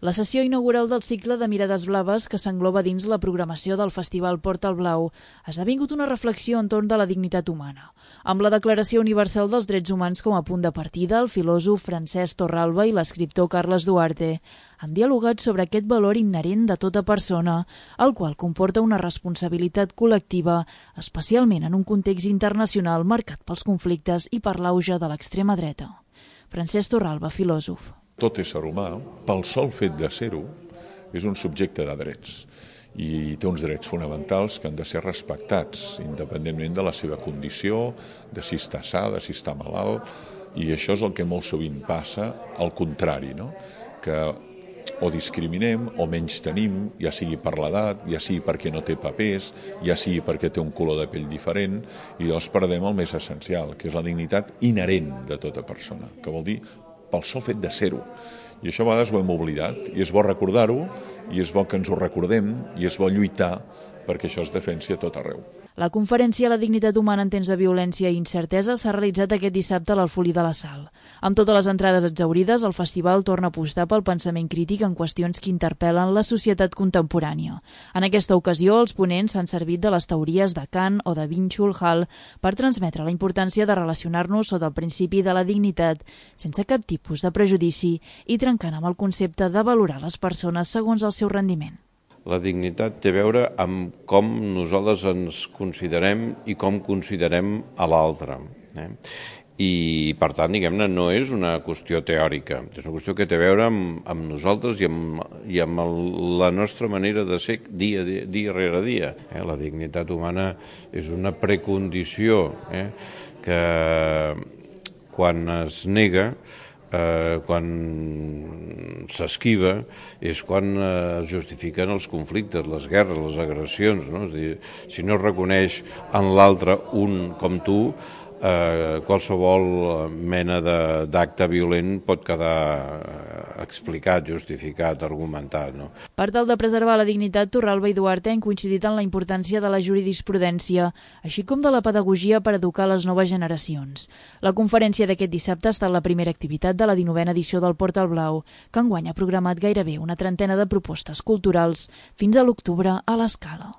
La sessió inaugural del cicle de Mirades Blaves, que s'engloba dins la programació del Festival Porta el Blau, ha esdevingut una reflexió entorn de la dignitat humana. Amb la Declaració Universal dels Drets Humans com a punt de partida, el filòsof Francesc Torralba i l'escriptor Carles Duarte han dialogat sobre aquest valor inherent de tota persona, el qual comporta una responsabilitat col·lectiva, especialment en un context internacional marcat pels conflictes i per l'auge de l'extrema dreta. Francesc Torralba, filòsof. Tot ésser humà, pel sol fet de ser-ho, és un subjecte de drets i té uns drets fonamentals que han de ser respectats, independentment de la seva condició, de si està sa, de si està malalt, i això és el que molt sovint passa, al contrari, no? Que o discriminem o menys-tenim, ja sigui per l'edat, ja sigui perquè no té papers, ja sigui perquè té un color de pell diferent, i llavors perdem el més essencial, que és la dignitat inherent de tota persona, que vol dir pel sol fet de ser-ho. I això a vegades ho hem oblidat, i és bo recordar-ho, i és bo que ens ho recordem, i és bo lluitar perquè això es defensi a tot arreu. La conferència La dignitat humana en temps de violència i incertesa s'ha realitzat aquest dissabte a l'Alfolí de la Sal. Amb totes les entrades exhaurides, el festival torna a apostar pel pensament crític en qüestions que interpel·len la societat contemporània. En aquesta ocasió, els ponents s'han servit de les teories de Kant o de Byung-Chul Han per transmetre la importància de relacionar-nos sota el principi de la dignitat, sense cap tipus de prejudici i trencant amb el concepte de valorar les persones segons el seu rendiment. La dignitat té a veure amb com nosaltres ens considerem i com considerem a l'altre. I, per tant, diguem-ne, no és una qüestió teòrica, és una qüestió que té a veure amb nosaltres i amb la nostra manera de ser dia rere dia. La dignitat humana és una precondició que quan es nega, quan s'esquiva, és quan es justifiquen els conflictes, les guerres, les agressions, no? És a dir, si no es reconeix en l'altre un com tu, qualsevol mena d'acte violent pot quedar explicat, justificat, argumentat. No? Per tal de preservar la dignitat, Torralba i Duarte han coincidit en la importància de la jurisprudència, així com de la pedagogia per educar les noves generacions. La conferència d'aquest dissabte ha estat la primera activitat de la 19a edició del Porta el Blau, que enguany ha programat gairebé una trentena de propostes culturals fins a l'octubre a l'Escala.